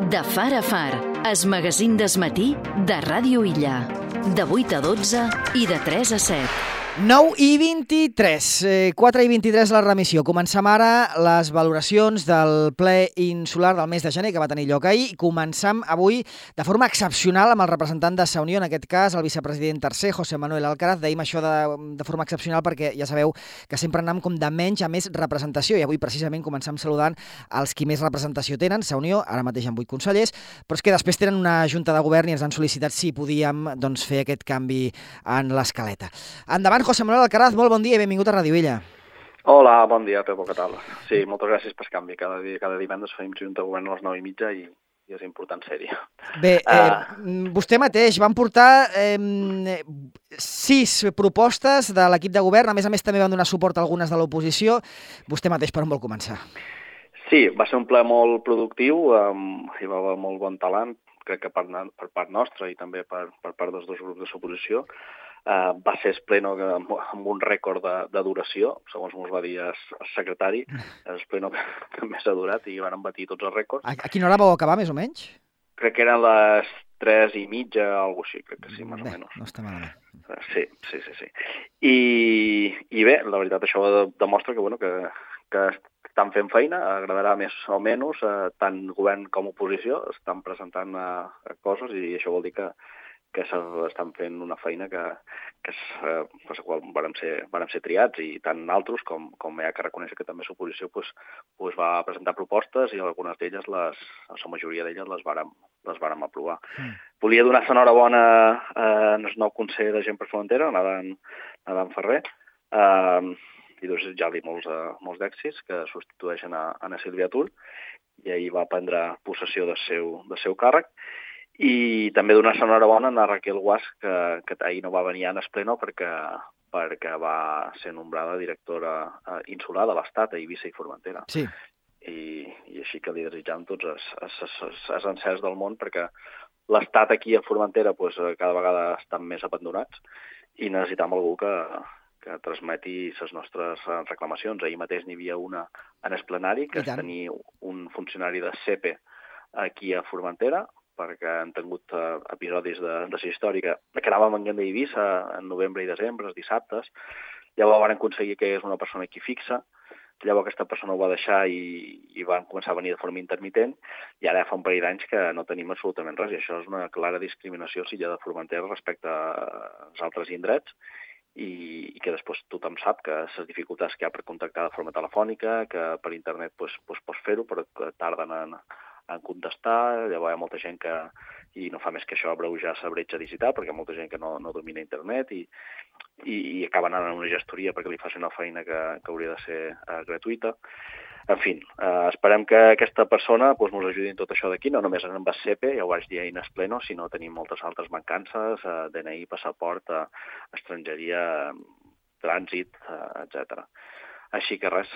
De far a far, es magazín d'esmatí de Ràdio Illa. De 8 a 12 i de 3 a 7. 9:23, 4:23 la remissió. Comencem ara les valoracions del ple insular del mes de gener que va tenir lloc ahir i comencem avui de forma excepcional amb el representant de Sa Unió, en aquest cas el vicepresident tercer, José Manuel Alcaraz. Deim això de forma excepcional perquè ja sabeu que sempre anem com de menys a més representació i avui precisament comencem saludant els qui més representació tenen. Sa Unió, ara mateix amb 8 consellers, però és que després tenen una junta de govern i ens han sol·licitat si podíem fer aquest canvi en l'escaleta. Endavant, José Manuel Alcaraz, molt bon dia i benvingut a Ràdio Illa. Hola, bon dia, Pepo, què tal? Sí, moltes gràcies pel canvi. Cada divendres fem junta de govern a les 9:30 i és important ser-hi. Bé, vostè mateix van portar 6 propostes de l'equip de govern, a més també van donar suport a algunes de l'oposició. Vostè mateix per on vol començar? Sí, va ser un ple molt productiu, hi va haver molt bon talent, crec que per part nostra i també per part dels dos grups de l'oposició. Va ser el pleno amb un rècord de duració, segons ens va dir el secretari, el pleno que més ha durat i van batir tots els rècords. A quina hora vau acabar, més o menys? Crec que eren les 3:30, alguna cosa així, crec que sí, més o menys. No està malament. Sí. I bé, la veritat, això demostra que estan fent feina, agradarà més o menys, tant govern com oposició, estan presentant coses i això vol dir que estan fent una feina per la qual vàrem ser triats i tant altres com hi ha que reconèixer que també l'oposició va presentar propostes i algunes d'elles, la majoria d'elles les vàrem aprovar. Volia donar l'enhorabona al nou conseller de Gent per Frontera, l'Adam Ferrer, i desitjar-li molts d'èxits que substitueixen a Sílvia Tull, i ahir va prendre possessió del seu càrrec. I també donar l'enhorabona a Raquel Guas, que ahir no va venir a el pleno perquè va ser nombrada directora insular de l'Estat a Eivissa i Formentera. Sí. I així que li desitjam tots els encerts del món, perquè l'Estat aquí a Formentera cada vegada estan més abandonats i necessitam algú que transmeti les nostres reclamacions. Ahir mateix n'hi havia una en el plenari, que és tenir un funcionari de CEPE aquí a Formentera, perquè han tingut episodis de la història que anàvem venint d'Eivissa en novembre i desembre, els dissabtes. Llavors van aconseguir que és una persona aquí fixa, llavors aquesta persona ho va deixar i van començar a venir de forma intermitent, i ara fa un parell d'anys que no tenim absolutament res, i això és una clara discriminació si hi ha de Formentera respecte als altres indrets, i que després tothom sap que les dificultats que hi ha per contactar de forma telefònica, que per internet pots fer-ho, però que tarden en contestar. Llavors hi ha molta gent i no fa més que això abreujar la bretxa digital, perquè hi ha molta gent que no domina internet i acaben anant a una gestoria perquè li facin una feina que hauria de ser gratuïta. En fi, esperem que aquesta persona ens ajudi en tot això d'aquí, no només en el CEPE, ja ho vaig dir ahir en el pleno, sinó tenim moltes altres mancances, DNI, passaport, estrangeria, trànsit, etc. Així que res,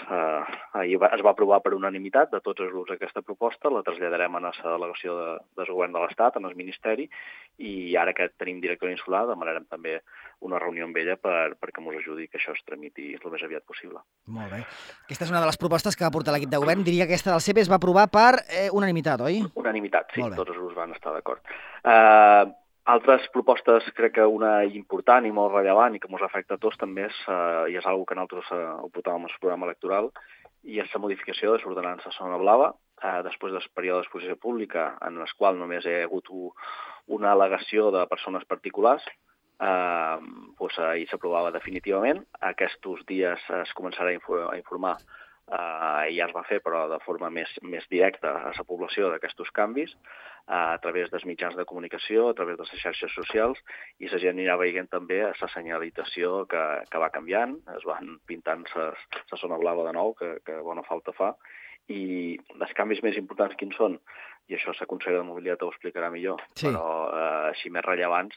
ahir es va aprovar per unanimitat de tots els grups aquesta proposta, la traslladarem a la delegació del govern de l'Estat, en el Ministeri, i ara que tenim director insular demanarem també una reunió amb ella perquè ens ajudi que això es tramiti el més aviat possible. Molt bé. Aquesta és una de les propostes que va portar l'equip de govern. Diria que aquesta del CEPE es va aprovar per unanimitat, oi? Unanimitat, sí, tots els grups van estar d'acord. Altres propostes, crec que una important i molt rellevant i que ens afecta a tots també és una cosa que nosaltres ho portàvem al programa electoral, i és la modificació de l'ordenança Zona Blava, després del període d'exposició pública en el qual només hi ha hagut una al·legació de persones particulars. Ahir s'aprovava definitivament. Aquests dies es començarà a informar, i ja es va fer, però de forma més directa a la població d'aquests canvis, a través dels mitjans de comunicació, a través de les xarxes socials, i la gent anirà veient també la senyalització que va canviant, es van pintant la zona blava de nou, que bona falta fa, i els canvis més importants quins són, i això la consellera de Mobilitat ho explicarà millor, sí. Però així més rellevants,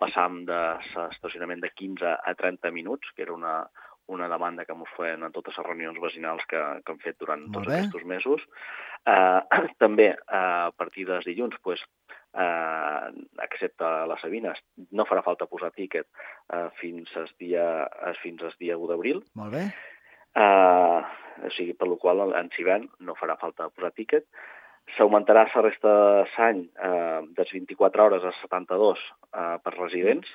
passam de l'estacionament de 15 a 30 minuts, que era una demanda que ens feien en totes les reunions vecinals que hem fet durant tots aquests mesos. També, a partir dels dilluns, excepte les Sabines, no farà falta posar tíquet fins al dia 1 d'abril. Molt bé. O sigui, per la qual en Civent no farà falta posar tíquet. S'augmentarà la resta d'any de 24 hores a 72 per residents.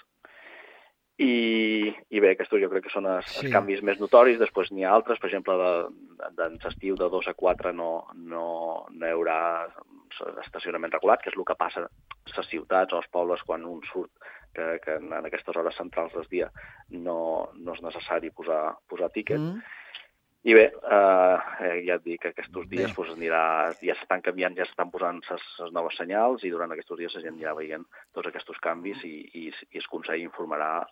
I bé, aquests jo crec que són els canvis més notoris. Després n'hi ha altres, per exemple, d'estiu de 2 a 4 no hi haurà estacionament regulat, que és el que passa a les ciutats o als pobles quan un surt, que en aquestes hores centrals del dia no és necessari posar tíquet. I bé, ja et dic que aquests dies ja s'estan canviant, ja s'estan posant les noves senyals i durant aquests dies la gent ja veient tots aquests canvis i el Consell informarà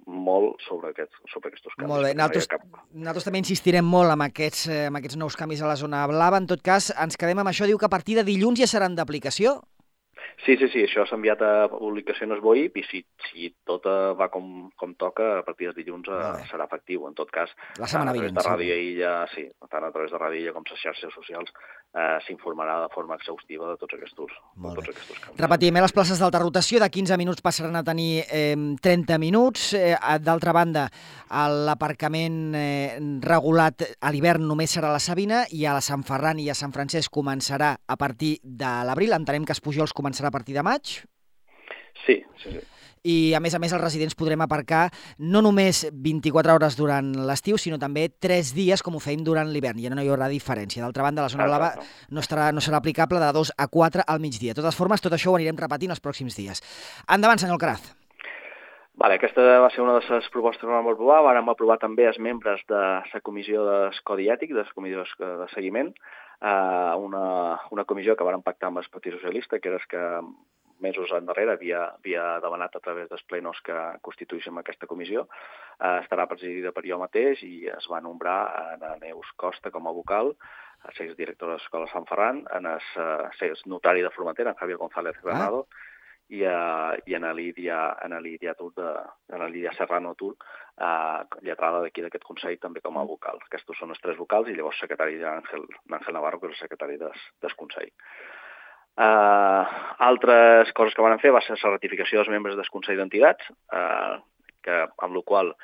molt sobre aquests canvis. Molt bé, nosaltres també insistirem molt amb aquests nous canvis a la zona blava. En tot cas, ens quedem amb això. Diu que a partir de dilluns ja seran d'aplicació? Sí, això s'ha enviat a publicació en el BOIP i si tot va com toca, a partir de dilluns serà efectiu. En tot cas, la setmana vinent, tant a través de Ràdio Illa com les xarxes socials s'informarà de forma exhaustiva de tots aquests canvis. Repetim, les places d'alta rotació de 15 minuts passaran a tenir 30 minuts. D'altra banda, l'aparcament regulat a l'hivern només serà a la Sabina i a la Sant Ferran i a Sant Francesc començarà a partir de l'abril. Entenem que els Pujols començarà a partir de maig? Sí. I, a més, els residents podrem aparcar no només 24 hores durant l'estiu, sinó també 3 dies, com ho fèiem durant l'hivern. Ja no hi haurà diferència. D'altra banda, la zona blava no serà aplicable de 2 a 4 al migdia. De totes formes, tot això ho anirem repetint els pròxims dies. Endavant, senyor Alcaraz. Aquesta va ser una de les propostes que vam aprovar. Vam aprovar també els membres de la comissió del Codi Ètic, de la comissió de seguiment, una comissió que vam pactar amb el Partit Socialista, que era el que mesos endarrere havia demanat a través dels plenos que constituïssin aquesta comissió. Estarà presidida per jo mateix i es va nombrar a Neus Costa com a vocal, a ser directora de l'Escola Sant Ferran, a ser notari de Formentera, en Javier González Granado, i a Lídia Serrano Tur, lletrada d'aquí d'aquest Consell, també com a vocal. Aquests són els 3 vocals i llavors secretari d'Àngel Navarro, que és el secretari del Consell. Altres coses que van fer va ser la ratificació dels membres del Consell d'Entitats, amb la qual,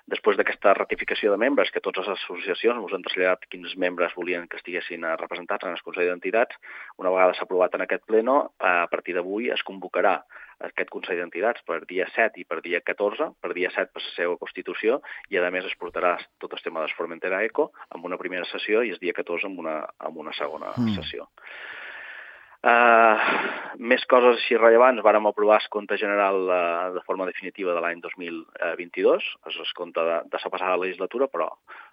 després d'aquesta ratificació de membres, que totes les associacions ens han traslladat quins membres volien que estiguessin representats en el Consell d'Entitats, una vegada s'ha aprovat en aquest pleno, a partir d'avui es convocarà aquest Consell d'Entitats per dia 7 i per dia 14, per dia 7 per la seva constitució, i a més es portarà tot el tema de Formentera Eco amb una primera sessió i el dia 14 amb una segona sessió. Més coses així rellevants. Vàrem aprovar el compte general de forma definitiva de l'any 2022, és el compte de la passada legislatura, però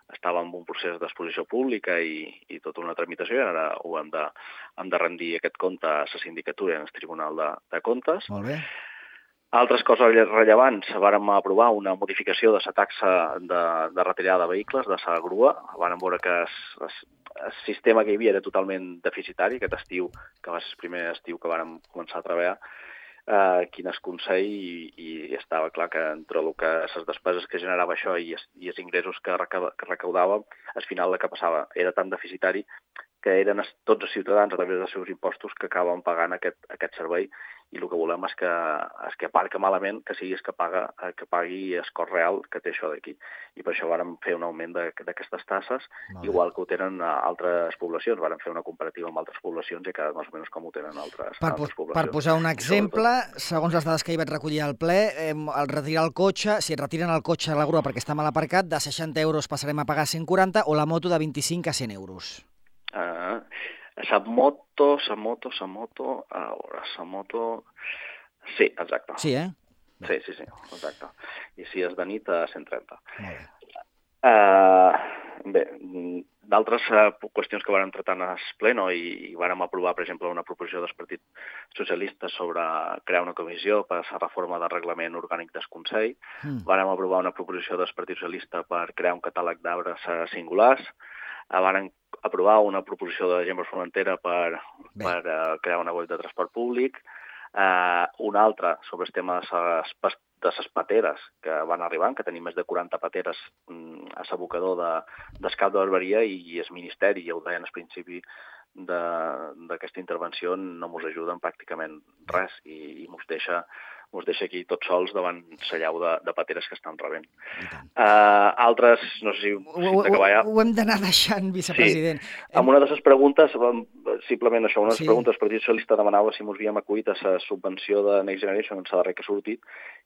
estava en un procés d'exposició pública i tota una tramitació, i ara hem de rendir aquest compte a la sindicatura i al Tribunal de Comptes. Molt bé. Altres coses rellevants, vàrem aprovar una modificació de la taxa de retirada de vehicles, de la grua. Vàrem veure que el sistema que hi havia era totalment deficitari, aquest estiu, que va ser el primer estiu que vàrem començar a treballar aquí en el Consell, i estava clar que entre les despeses que generava això i els ingressos que recaudàvem, al final el que passava era tan deficitari que eren tots els ciutadans a través dels seus impostos que acaben pagant aquest servei, i el que volem és que aparca malament, que sigui que pagui el cost real que té això d'aquí. I per això vàrem fer un augment d'aquestes tasses, igual que ho tenen altres poblacions. Vàrem fer una comparativa amb altres poblacions i cada més o menys com ho tenen altres poblacions. Per posar un exemple, segons les dades que hi vaig recollir al ple, al retirar el cotxe, si et retiren el cotxe a la grua perquè està mal aparcat, de 60 euros passarem a pagar 140, o la moto de 25 a 100 euros. La moto... Sí, exacte. Sí, Sí, exacte. I si és de nit, a 130. Bé, d'altres qüestions que vàrem tratar en el pleno i vàrem aprovar, per exemple, una proposició del Partit Socialista sobre crear una comissió per a la reforma del reglament orgànic del Consell. Vàrem aprovar una proposició del Partit Socialista per crear un catàleg d'arbres singulars. Vàrem aprovar una proposició de gent per Formentera per crear una web de transport públic. Una altra sobre el tema de les pateres que van arribant, que tenim més de 40 pateres a l'abocador d'Escap de Barberia, i el Ministeri, ja ho deien al principi d'aquesta intervenció, no ens ajuden pràcticament res i ens ens deixa aquí tots sols davant la llau de pateres que estan rebent. Altres, no sé si d'acabar ja... Ho hem d'anar deixant, vicepresident. Sí, amb una de les preguntes, simplement això, una de les preguntes, el Partit Socialista demanava si ens havíem acollit a la subvenció de Next Generation, en la darrera que ha sortit,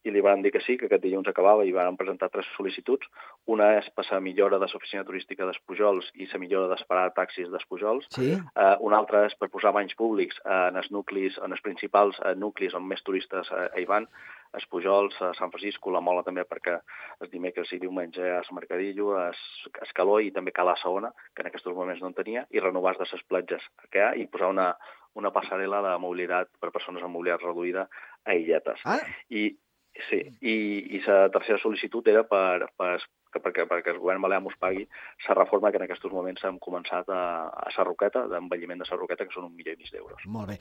i li van dir que sí, que aquest dilluns acabava, i van presentar 3 sol·licituds. Una és per la millora de l'oficina turística d'Espujols i la millora d'esperar taxis d'Espujols. Sí. Una altra és per posar banys públics en els nuclis, en els principals nuclis on més turistes hi van, Espujols, a Sant Francisco, la Mola també, perquè els dimecres i diumenge a Mercadillo, a Escaló i també Cala Saona, que en aquests moments no en tenia, i renovar de les platges que hi ha i posar una passarel·la de mobilitat per persones amb mobilitat reduïda a illetes. I la tercera sol·licitud era perquè el govern balear mos pagui la reforma que en aquests moments hem començat a Sarroqueta, d'envelliment de Sarroqueta, que són 1,5 milió d'euros. Molt bé.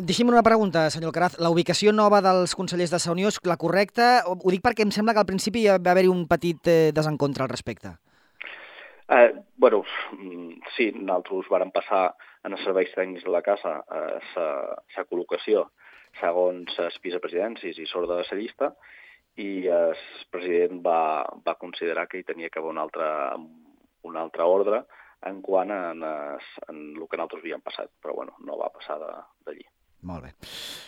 Deixi'm una pregunta, senyor Alcaraz. La ubicació nova dels consellers de la Unió és la correcta? Ho dic perquè em sembla que al principi va haver-hi un petit desencontre al respecte. Sí, nosaltres vàrem passar en els serveis tècnics de la casa la col·locació segons els vicepresidències i sort de la llista, i el president va considerar que hi tenia que haver un altre ordre en quant en el que nosaltres havíem passat, però no va passar d'allí. Molt bé.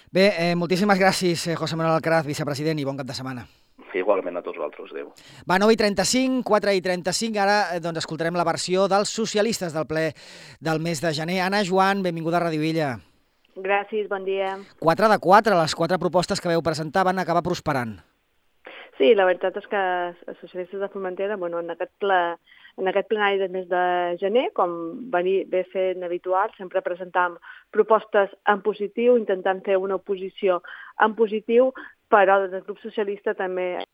Bé, moltíssimes gràcies, José Manuel Alcaraz, vicepresident, i bon cap de setmana. Igualment a tots vosaltres, adéu. Va, 9:35, 4:35, ara escoltarem la versió dels socialistes del ple del mes de gener. Anna Joan, benvinguda a Radio Illa. Gràcies, bon dia. 4 de 4, les 4 propostes que vau presentar van acabar prosperant. Sí, la veritat és que els socialistes de Formentera, en aquest plenari del mes de gener, com ve fent habitual, sempre presentàvem propostes en positiu, intentant fer una oposició en positiu, però des del grup socialista també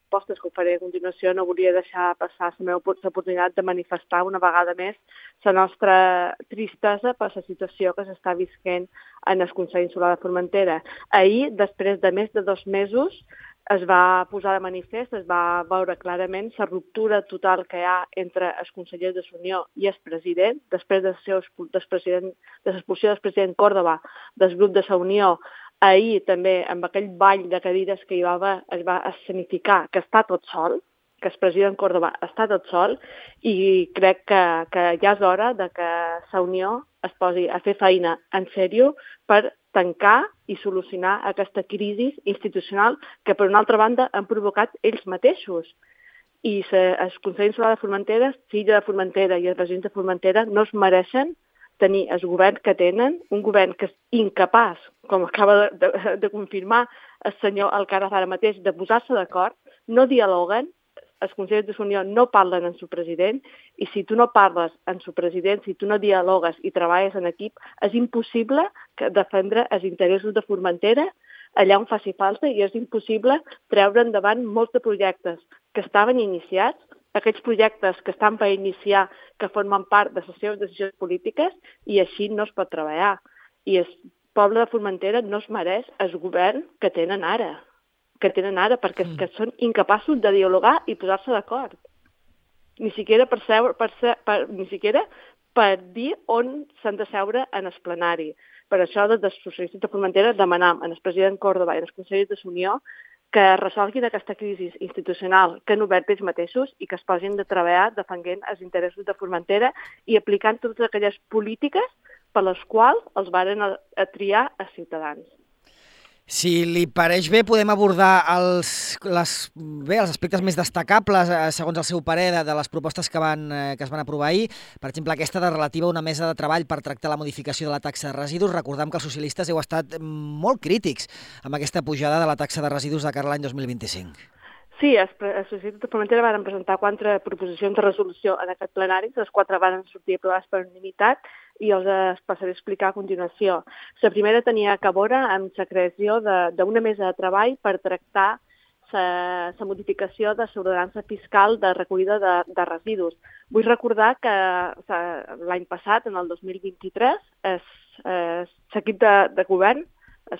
propostes que ho faré a continuació, no volia deixar passar la meva oportunitat de manifestar una vegada més la nostra tristesa per la situació que s'està visquent en el Consell Insular de Formentera. Ahir, després de més de 2 mesos, es va posar de manifest, es va veure clarament la ruptura total que hi ha entre els consellers de la Unió i el president, després de l'expulsió del president Córdoba del grup de la Unió. Ahir també, amb aquell ball de cadires que hi va haver, es va escenificar que està tot sol, que el president Córdoba està tot sol, i crec que ja és hora de que la Unió es posi a fer feina en sèrio per tancar i solucionar aquesta crisi institucional que, per una altra banda, han provocat ells mateixos. I el Consell Insular de Formentera, l'illa de Formentera i els residents de Formentera no es mereixen tenir el govern que tenen, un govern que és incapaç, com acaba de confirmar el senyor Alcaraz ara mateix, de posar-se d'acord, no dialoguen, els consellers de la Unió no parlen amb el president, i si tu no parles amb el president, si tu no dialogues i treballes en equip, és impossible defendre els interessos de Formentera allà on faci falta, i és impossible treure endavant molts de projectes que estaven iniciats, aquells projectes que estan per iniciar, que formen part de les seves decisions polítiques, i així no es pot treballar. I el poble de Formentera no es mereix el govern que tenen ara, perquè són incapaços de dialogar i posar-se d'acord. Ni siquiera per dir on s'han de seure en el plenari. Per això, des dels socialistes de Formentera, demanam al president Córdoba i als consellers de la Unió que resolguin aquesta crisi institucional que han obert ells mateixos i que es posin de treballar defensant els interessos de Formentera i aplicant totes aquelles polítiques per les quals els varen a triar a Ciutadans. Si li pareix bé, podem abordar els aspectes més destacables, segons el seu parer, de les propostes que es van aprovar ahir. Per exemple, aquesta relativa a una mesa de treball per tractar la modificació de la taxa de residus. Recordem que els socialistes heu estat molt crítics amb aquesta pujada de la taxa de residus de cara a l'any 2025. Sí, els socialistes de Formentera van presentar 4 proposicions de resolució en aquest plenari, les 4 van sortir aprovades per unanimitat, i els passaré a explicar a continuació. La primera tenia a veure amb la creació d'una mesa de treball per tractar la modificació de l'ordenança fiscal de recollida de residus. Vull recordar que l'any passat, en el 2023, l'equip de govern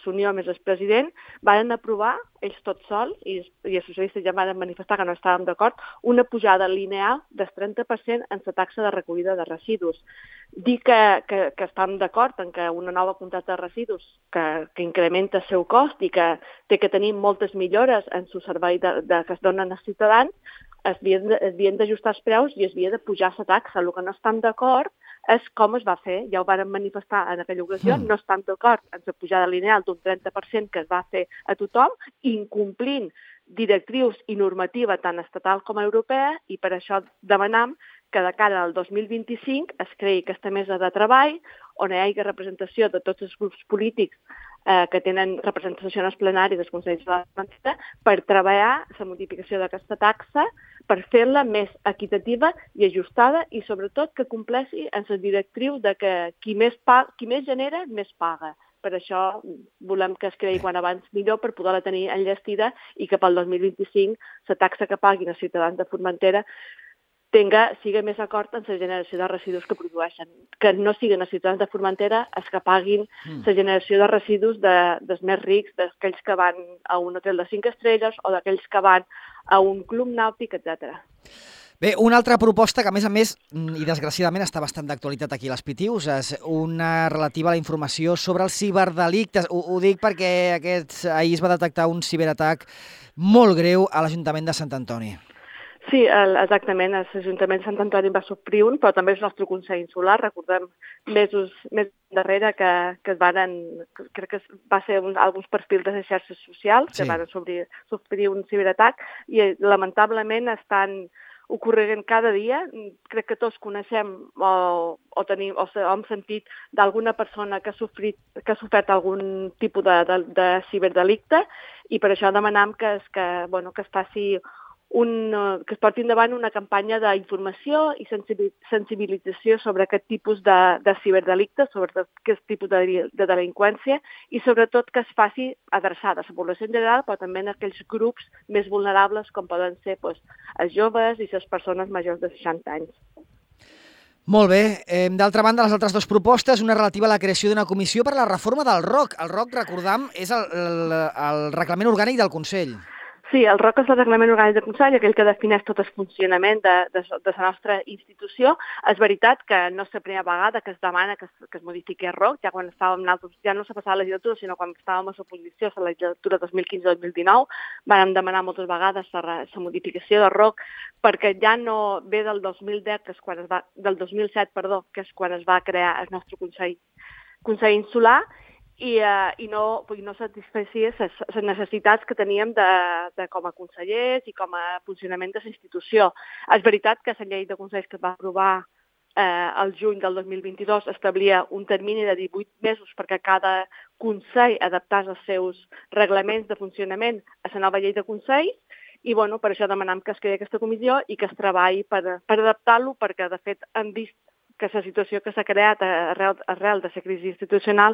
Unió més el president, van aprovar, ells tots sols, i els socialistes ja van manifestar que no estàvem d'acord, una pujada lineal del 30% en la taxa de recollida de residus. Dir que estem d'acord en que una nova contracta de residus que incrementa el seu cost i que té que tenir moltes millores en el servei que es donen als ciutadans, es havien d'ajustar els preus i es havia de pujar la taxa. El que no estem d'acord és com es va fer. Ja ho vàrem manifestar en aquella ocasió. No estem d'acord en la pujada lineal d'un 30% que es va fer a tothom, incomplint directrius i normativa tant estatal com europea, i per això demanam que de cara al 2025 es creï aquesta mesa de treball on hi hagi representació de tots els grups polítics que tenen representació en els plenaris dels Consells de la Generalitat per treballar la modificació d'aquesta taxa, per fer-la més equitativa i ajustada i, sobretot, que compleixi en la directriu de que qui més genera, més paga. Per això volem que es creï quan abans millor per poder-la tenir enllestida i que pel 2025 la taxa que paguin els ciutadans de Formentera sigui més acord amb la generació de residus que produeixen, que no siguin els ciutadans de Formentera els que paguin la generació de residus dels més rics, d'aquells que van a un hotel de 5 estrelles o d'aquells que van a un club nàutic, etc. Bé, una altra proposta que, a més, i desgraciadament està bastant d'actualitat aquí a les Pitius, és una relativa a la informació sobre els ciberdelictes. Ho dic perquè ahir es va detectar un ciberatac molt greu a l'Ajuntament de Sant Antoni. Sí, exactament. L'Ajuntament de Sant Antoni va sofrir un, però també el nostre Consell Insular. Recordem mesos més darrere que es varen, crec que va ser alguns perfils de les xarxes socials que van sofrir un ciberatac i lamentablement estan ocorrent cada dia. Crec que tots coneixem o hem sentit d'alguna persona que ha sofert algun tipus de ciberdelicte i per això demanem que es faci que es porti endavant una campanya d'informació i sensibilització sobre aquest tipus de ciberdelictes, sobre aquest tipus de delinqüència i sobretot que es faci adreçada a la població en general, però també en aquells grups més vulnerables com poden ser els joves i les persones majors de 60 anys. Molt bé. D'altra banda, les altres dues propostes, una relativa a la creació d'una comissió per a la reforma del ROC. El ROC, recordam, és el reglament orgànic del Consell. Sí, el ROC és el reglament orgànic del Consell, aquell que defineix tot el funcionament de la nostra institució. És veritat que no és la primera vegada que es demana que es modifiqui el ROC, ja quan estàvem ja no s'ha passat la legislatura, sinó quan estàvem a l'oposició, a la legislatura 2015-2019, vam demanar moltes vegades la modificació del ROC, perquè ja no ve del 2007, que és quan es va crear el nostre Consell Insular, i no satisfecia les necessitats que teníem com a consellers i com a funcionament de la institució. És veritat que la llei de consells que es va aprovar el juny del 2022 establia un termini de 18 mesos perquè cada consell adaptés els seus reglaments de funcionament a la nova llei de consells i per això demanem que es creï aquesta comissió i que es treballi per adaptar-lo perquè de fet hem vist que la situació que s'ha creat arrel de la crisi institucional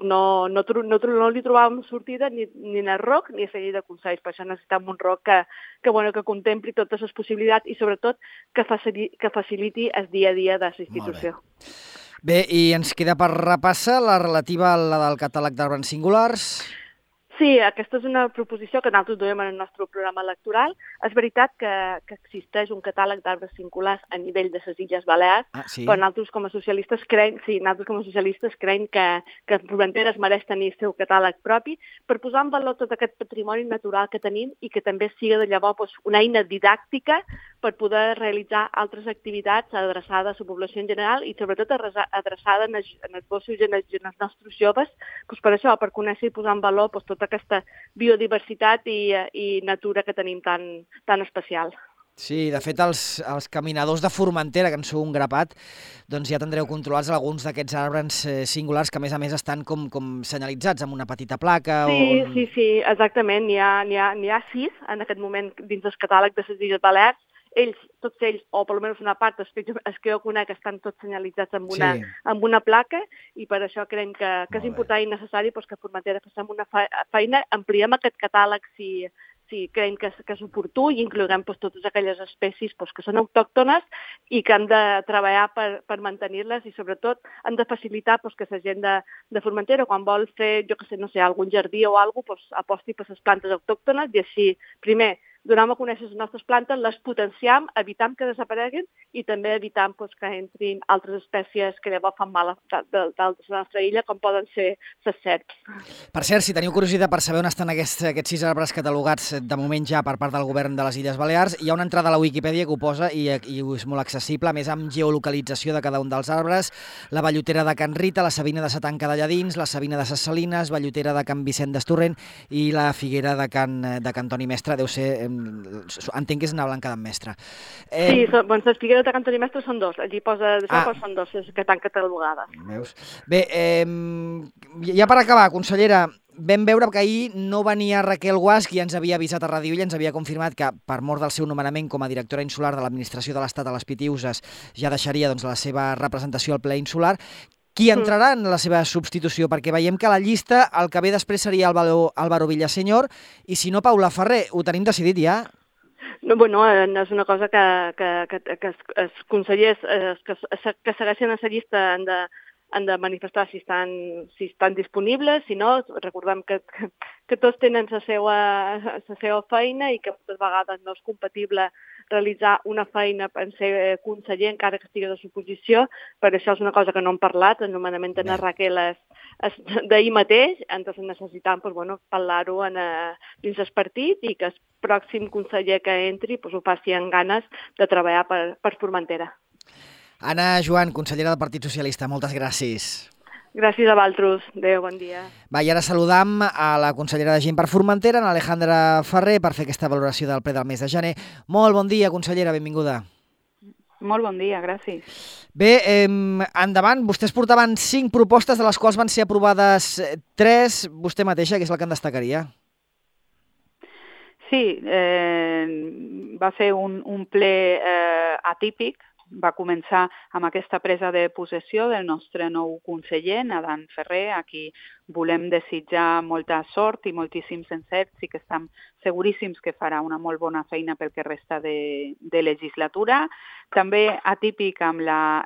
no li trobàvem sortida ni en el ROC ni a la llei de consells. Per això necessitem un ROC que contempli totes les possibilitats i sobretot que faciliti el dia a dia de la institució. Bé, i ens queda per repassar la relativa a la del catàleg d'arbres singulars. Sí, aquesta és una proposició que nosaltres duem en el nostre programa electoral. És veritat que existeix un catàleg d'arbres singulars a nivell de les Illes Balears, però nosaltres com a socialistes creiem que Formentera es mereix tenir el seu catàleg propi per posar en valor tot aquest patrimoni natural que tenim i que també sigui de llavors una eina didàctica per poder realitzar altres activitats adreçades a la població en general i sobretot adreçada en els gossos i en els nostres joves, per això, per conèixer i posar en valor tota aquesta biodiversitat i natura que tenim tan especial. Sí, de fet, els caminadors de Formentera, que en sou un grapat, doncs ja tindreu controlats alguns d'aquests arbres singulars que, a més, estan com senyalitzats amb una petita placa. Sí, exactament. N'hi ha 6 en aquest moment dins del catàleg de les Illes Balears. Tots ells, o per almenys una part, els que jo conec, estan tots senyalitzats amb una placa i per això creiem que és important i necessari que Formentera facem una feina, ampliem aquest catàleg si si creiem que és oportú i inclourem totes aquelles espècies que són autòctones i que han de treballar per mantenir-les i sobretot han de facilitar que la gent de Formentera quan vol fer, jo que sé, no sé, algun jardí o alguna cosa, aposti per les plantes autòctones i així, primer, donem a conèixer les nostres plantes, les potenciam, evitam que desapareguin i també evitam que entrin altres espècies que llavors fan mal d'altres de la nostra illa, com poden ser les serps. Per cert, si teniu curiositat per saber on estan aquests 6 arbres catalogats de moment ja per part del govern de les Illes Balears, hi ha una entrada a la Wikipedia que ho posa i és molt accessible, a més amb geolocalització de cada un dels arbres, la bellotera de Can Rita, la savina de Satanca de Lladins, la savina de Ses Salines, bellotera de Can Vicent d'Estorrent i la figuera de Can Toni Mestre, deu ser... entenc que és una blanca d'en Mestre. Sí, les figueres de Can Toni Mestre són dos, allí posa d'això, però són dos que estan catalogades. Veus? Bé, ja per acabar, consellera, vam veure que ahir no venia Raquel Guasch, qui ens havia avisat a Ràdio Illa, ens havia confirmat que per mort del seu nomenament com a directora insular de l'administració de l'Estat a les Pitiüses ja deixaria la seva representació al ple insular. Qui entrarà en la seva substitució? Perquè veiem que a la llista el que ve després seria Álvaro Villaseñor i si no Paula Ferrer. Ho tenim decidit ja? No, bueno, és una cosa que els consellers que segueixen a la llista han de manifestar si estan disponibles, si no, recordem que tots tenen la seva feina i que moltes vegades no és compatible realitzar una feina en ser conseller encara que estigui de suposició, per això és una cosa que no hem parlat, el nomenament de la Raquel és d'ahir mateix, entonces necessitam parlar-ho dins el partit i que el pròxim conseller que entri ho faci amb ganes de treballar per Formentera. Anna Joan, consellera del Partit Socialista, moltes gràcies. Gràcies a vosaltres. Adéu, bon dia. Va, i ara saludam a la consellera de Gent per Formentera, Alejandra Ferrer, per fer aquesta valoració del ple del mes de gener. Molt bon dia, consellera, benvinguda. Molt bon dia, gràcies. Bé, endavant, vostès portaven 5 propostes, de les quals van ser aprovades 3. Vostè mateixa, que és la que en destacaria? Sí, va ser un ple atípic. Va començar amb aquesta presa de possessió del nostre nou conseller, Nadan Ferrer, a qui volem desitjar molta sort i moltíssims encerts i que estem seguríssims que farà una molt bona feina pel que resta de legislatura. També atípic amb la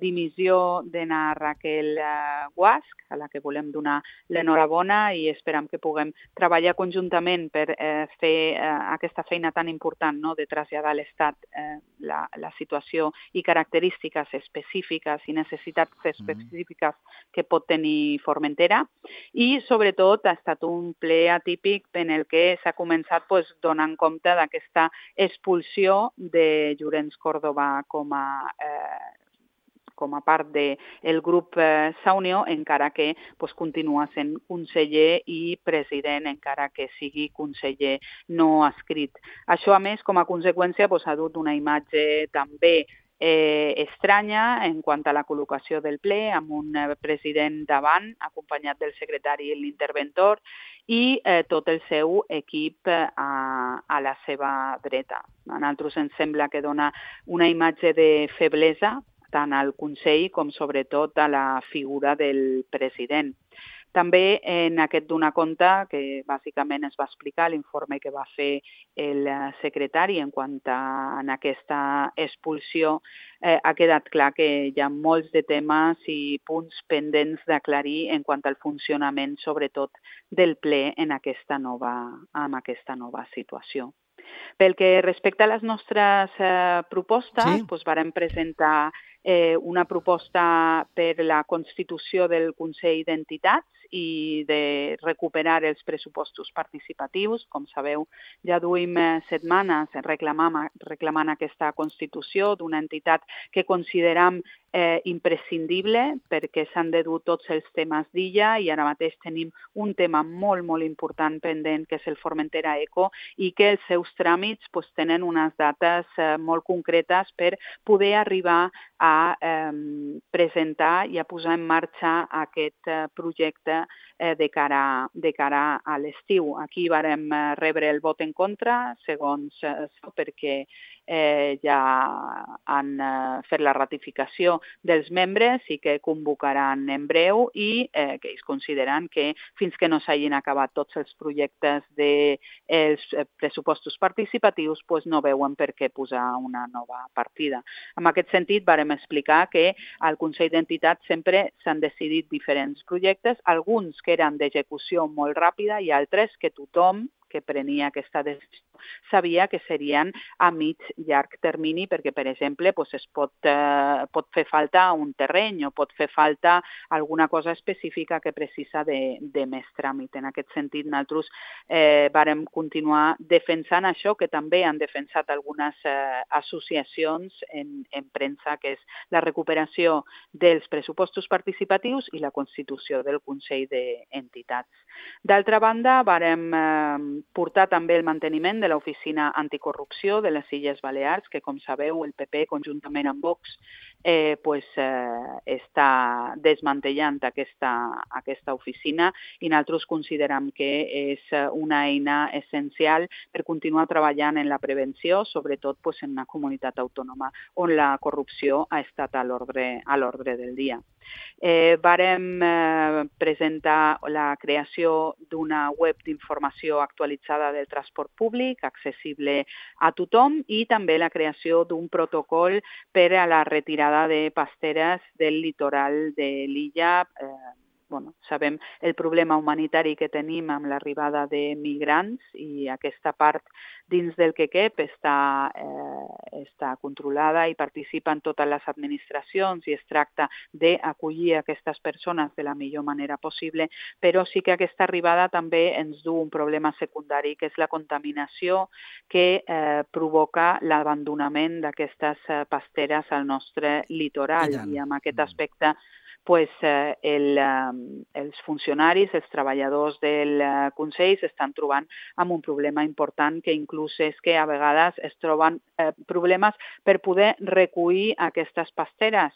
dimissió de na Raquel Guasch, a la que volem donar l'enhorabona i esperam que puguem treballar conjuntament per fer aquesta feina tan important, no?, de traslladar a l'Estat la situació i característiques específiques i necessitats específiques que pot tenir Formentera. I, sobretot, ha estat un ple atípic en el que s'ha començat donant compte d'aquesta expulsió de Llorenç Córdoba com a part del grup Saunió, encara que continua sent conseller i president, encara que sigui conseller no escrit. Això, a més, com a conseqüència, ha dut una imatge també estranya en quant a la col·locació del ple, amb un president davant, acompanyat del secretari i l'interventor, i tot el seu equip a la seva dreta. A nosaltres ens sembla que dona una imatge de feblesa tant al Consell com sobretot a la figura del president. També en aquest donar compte, que bàsicament es va explicar l'informe que va fer el secretari en quant a aquesta expulsió, ha quedat clar que hi ha molts de temes i punts pendents d'aclarir en quant al funcionament, sobretot, del ple amb aquesta nova situació. Pel que respecta a les nostres propostes, vàrem presentar una proposta per la constitució del Consell d'Entitats i de recuperar els pressupostos participatius. Com sabeu, ja duim setmanes reclamant aquesta constitució d'una entitat que consideram imprescindible perquè s'han de dur tots els temes d'illa i ara mateix tenim un tema molt, molt important pendent que és el Formentera Eco i que els seus tràmits tenen unes dates molt concretes per poder arribar a presentar i a posar en marxa aquest projecte de cara a l'estiu. Aquí vàrem rebre el vot en contra, segons això, perquè ja han fet la ratificació dels membres i que convocaran en breu i que ells consideren que fins que no s'hagin acabat tots els projectes dels pressupostos participatius no veuen per què posar una nova partida. En aquest sentit, vàrem explicar que al Consell d'Entitats sempre s'han decidit diferents projectes, alguns que eren d'execució molt ràpida i altres que tothom que prenia aquesta decisió sabia que serien a mig llarg termini perquè, per exemple, es pot fer falta un terreny o pot fer falta alguna cosa específica que precisa de més tràmit. En aquest sentit, nosaltres vàrem continuar defensant això que també han defensat algunes associacions en premsa, que és la recuperació dels pressupostos participatius i la constitució del Consell d'Entitats. D'altra banda, vàrem portar també el manteniment de l'Oficina Anticorrupció de les Illes Balears, que, com sabeu, el PP, conjuntament amb Vox, està desmantellant aquesta oficina i nosaltres considerem que és una eina essencial per continuar treballant en la prevenció, sobretot en una comunitat autònoma on la corrupció ha estat a l'ordre del dia. Vàrem presentar la creació d'una web d'informació actualitzada del transport públic, accessible a tothom, i també la creació d'un protocol per a la retirada de pasteres del litoral de l'illa. Sabem el problema humanitari que tenim amb l'arribada de migrants i aquesta part dins del que cap està controlada i participen totes les administracions i es tracta d'acollir aquestes persones de la millor manera possible, però sí que aquesta arribada també ens du un problema secundari, que és la contaminació que provoca l'abandonament d'aquestes pasteres al nostre litoral. I en aquest aspecte els funcionaris, els treballadors del Consell s'estan trobant amb un problema important, que inclús és que a vegades es troben problemes per poder recollir aquestes pasteres,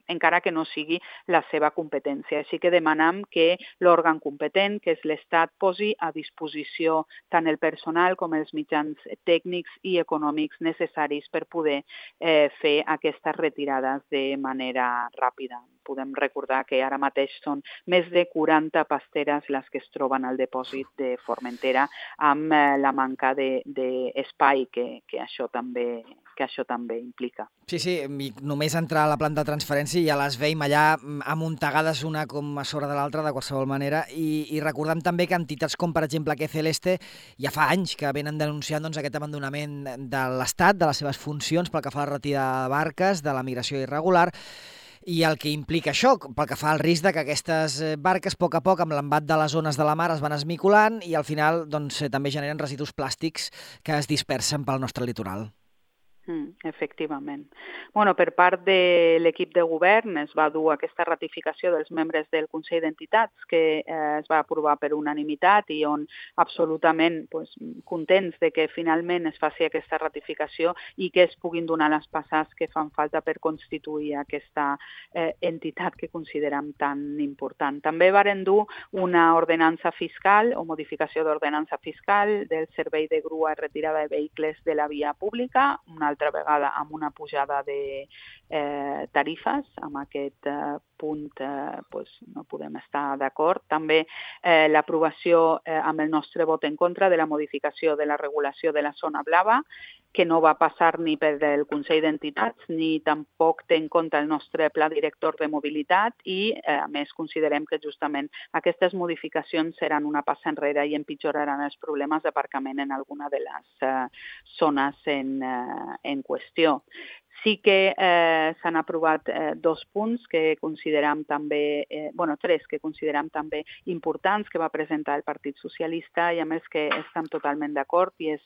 encara que no sigui la seva competència. Així que demanem que l'òrgan competent, que és l'Estat, posi a disposició tant el personal com els mitjans tècnics i econòmics necessaris per poder fer aquestes retirades de manera ràpida. Podem recordar que ara mateix són més de 40 pasteres les que es troben al depòsit de Formentera, amb la manca d'espai que això també implica. Sí, només entrar a la planta de transferència ja les veiem allà amuntegades una com a sobre de l'altra de qualsevol manera, i recordem també que entitats com per exemple Que Celeste ja fa anys que venen denunciant aquest abandonament de l'Estat, de les seves funcions pel que fa a la retirada de barques, de la migració irregular, i el que implica això, pel que fa al risc de que aquestes barques, a poc, amb l'embat de les ones de la mar, es van esmicolant i al final també generen residus plàstics que es dispersen pel nostre litoral. Efectivament. Per part de l'equip de govern es va dur aquesta ratificació dels membres del Consell d'Entitats, que es va aprovar per unanimitat i on absolutament contents de que finalment es faci aquesta ratificació i que es puguin donar les passes que fan falta per constituir aquesta entitat que considerem tan important. També varen dur una ordenança fiscal o modificació d'ordenança fiscal del servei de grua i retirada de vehicles de la via pública, una altra vegada amb una pujada de tarifes. Amb aquest punt no podem estar d'acord. També l'aprovació amb el nostre vot en contra de la modificació de la regulació de la zona blava, que no va passar ni per el Consell d'Entitats ni tampoc té en compte el nostre pla director de mobilitat i, a més, considerem que justament aquestes modificacions seran una passa enrere i empitjoraran els problemes d'aparcament en alguna de les zones en qüestió. Sí que s'han aprovat dos punts que considerem també, tres que considerem també importants que va presentar el Partit Socialista i amb els que estem totalment d'acord, i és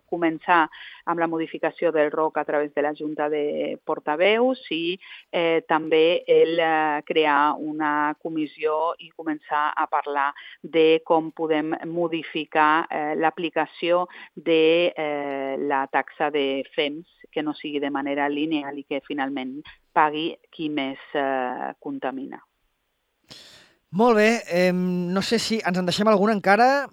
començar amb la modificació del ROC a través de la Junta de Portaveus i també el crear una comissió i començar a parlar de com podem modificar l'aplicació de la taxa de FEMS, que no sigui de manera lineal i que finalment pagui qui més contamina. Molt bé, no sé si ens en deixem alguna encara.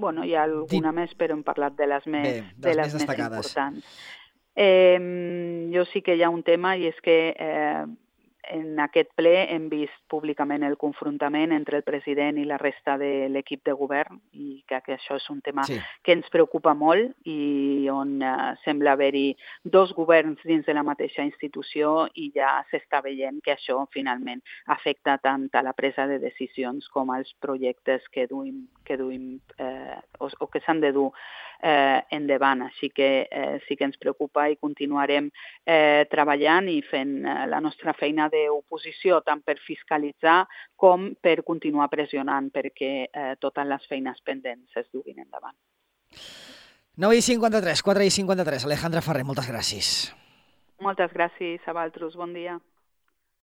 Bueno, hi ha alguna més, però hem parlat de les més destacades. importants. Jo sí que hi ha un tema, i és que en aquest ple hem vist públicament el confrontament entre el president i la resta de l'equip de govern, i crec que això és un tema que ens preocupa molt i on sembla haver-hi dos governs dins de la mateixa institució, i ja s'està veient que això finalment afecta tant a la presa de decisions com als projectes que s'han de dur endavant. Així que sí que ens preocupa i continuarem treballant i fent la nostra feina d'oposició, tant per fiscalitzar com per continuar pressionant perquè totes les feines pendents es duguin endavant. 9:53, 4:53. Alejandra Ferrer, moltes gràcies. Moltes gràcies a vosaltres, bon dia.